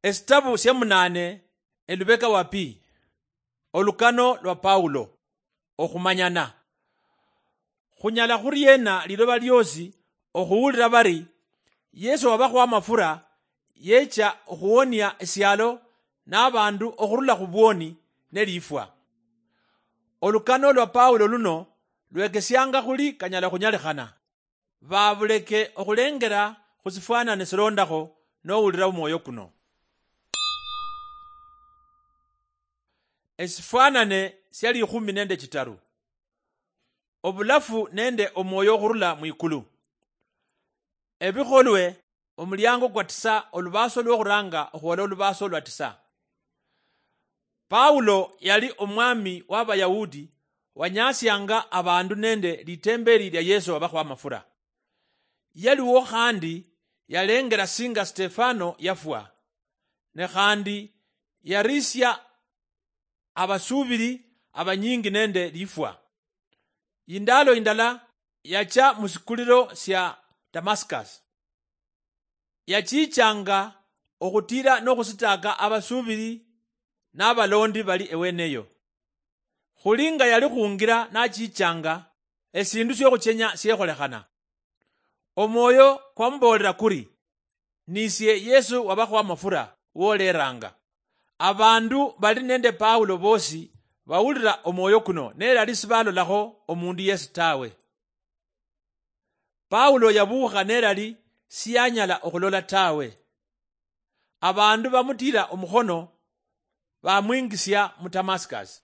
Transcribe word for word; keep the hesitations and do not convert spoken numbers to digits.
Esitabu sya munaane, elubeka wa pi. Olukano lwa Paulo. Okhumanyana. Khunyala khuriena liloba lyoosi okhuwulira bari Yesu wabakhwa amafura yecha okhuwonia esialo nabandu okhurula khubwoni nelifwa? Olukano lwa Paulo luno lwekesianga khuli kanyala khunyalikhana. Babuleke okhulengera khusifwanane silondakho nowulira omwoyo kuno. Esifwanane sya likhumi nende chitaru. Obulafu nende omwoyo okhurula mwikulu. Ebikholwe, omuliango kwa tisa, olubaaso lwokhuranga okhwola olubaaso lwa tisa. Paulo yali omwami w'Abayahudi wanyasianga abandu nende litembeli lia Yesu wabakhwa amafura. Yaliwo khandi yalengera singa Stefano yafwa, ne khandi yarisia abasuubili abanyingi nende lifwa. Yindaalo yindala yacha musikulilo sya Damascus. Yachichanga okhutiira n'okhusitaaka abasuubili n'abalondi bali eweneyo. Khuli nga yali khungira nachichanga, esiindu syokhuchenya syekholekhana. Omwoyo kwamuboolera kuri, "Nisie Yesu wabakhwa amafura woleranga." Abandu bali nende Paulo boosi bawulira omwoyo kuno, nelali sibalolakho omundu yesi tawe. Paulo yabuukha nelali siyanyala okhulola tawe. Abandu bamutira omukhono, bamwingisia mu Damascus.